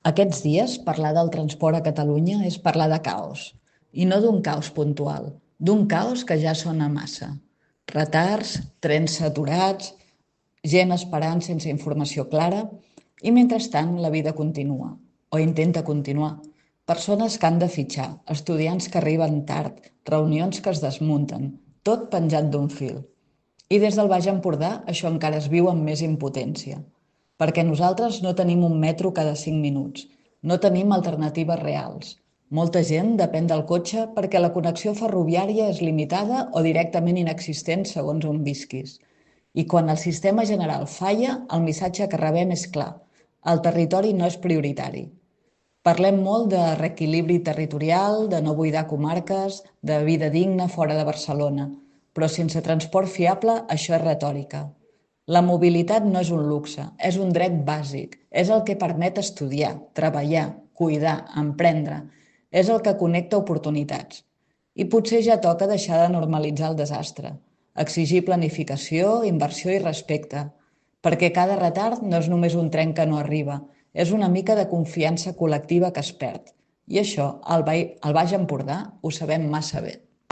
Aquests dies, parlar del transport a Catalunya és parlar de caos. I no d'un caos puntual, d'un caos que ja sona massa. Retards, trens saturats, gent esperant sense informació clara i mentrestant la vida continua, o intenta continuar. Persones que han de fitxar, estudiants que arriben tard, reunions que es desmunten, tot penjat d'un fil. I des del Baix Empordà això encara es viu amb més impotència, perquè nosaltres no tenim un metro cada 5 minuts, no tenim alternatives reals. Molta gent depèn del cotxe perquè la connexió ferroviària és limitada o directament inexistent segons on visquis. I quan el sistema general falla, el missatge que rebem és clar: el territori no és prioritari. Parlem molt de reequilibri territorial, de no buidar comarques, de vida digna fora de Barcelona, però sense transport fiable això és retòrica. La mobilitat no és un luxe, és un dret bàsic, és el que permet estudiar, treballar, cuidar, emprendre, és el que connecta oportunitats. I potser ja toca deixar de normalitzar el desastre, exigir planificació, inversió i respecte, perquè cada retard no és només un tren que no arriba, és una mica de confiança col·lectiva que es perd. I això, al Baix Empordà, ho sabem massa bé.